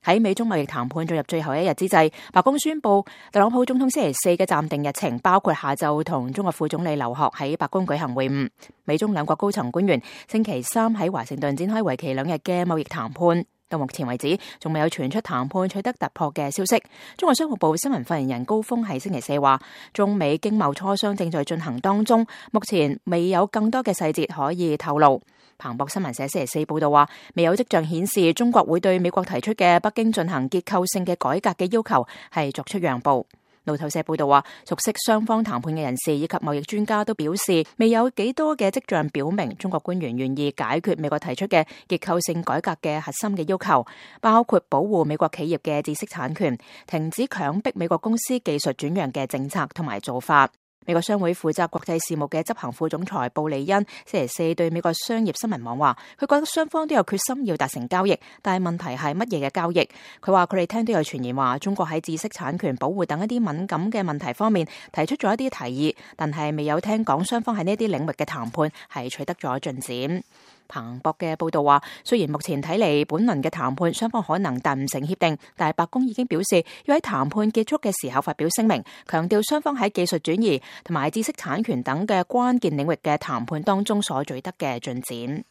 喺美中貿易談判進入最後一日之際，白宮宣布特朗普總統星期四嘅暫定日程包括下晝同中國副總理劉鶴喺白宮舉行會晤。美中兩國高層官員星期三喺華盛頓展開為期2日嘅貿易談判。到目前為止，仲未有傳出談判取得突破嘅消息。中國商務部新聞發言人高峰喺星期四話，中美經貿磋商正在進行當中，目前未有更多嘅細節可以透露。彭博新聞社星期四報道話，未有跡象顯示中國會對美國提出嘅北京進行結構性嘅改革嘅要求係作出讓步。路透社報道話，熟悉雙方談判嘅人士以及貿易專家都表示，未有幾多嘅跡象表明中國官員願意解決美國提出嘅結構性改革嘅核心嘅要求，包括保護美國企業嘅知識產權、停止強迫美國公司技術轉讓嘅政策同埋做法。美國商會負責國際事務嘅執行副總裁布利恩星期四對美國商業新聞網話，佢覺得雙方都有決心要達成交易，但係問題係乜嘢嘅交易？佢話佢哋聽到有傳言話中國喺知識產權保護等一啲敏感嘅問題方面提出咗一啲提議，但係未有聽講雙方喺呢啲領域嘅談判係取得咗進展。彭博嘅報道話，雖然目前睇嚟本輪嘅談判雙方可能達唔成協定，但係白宮已經表示要喺談判結束嘅時候發表聲明，強調雙方喺技術轉移同埋知識產權等嘅關鍵領域嘅談判當中所取得嘅進展。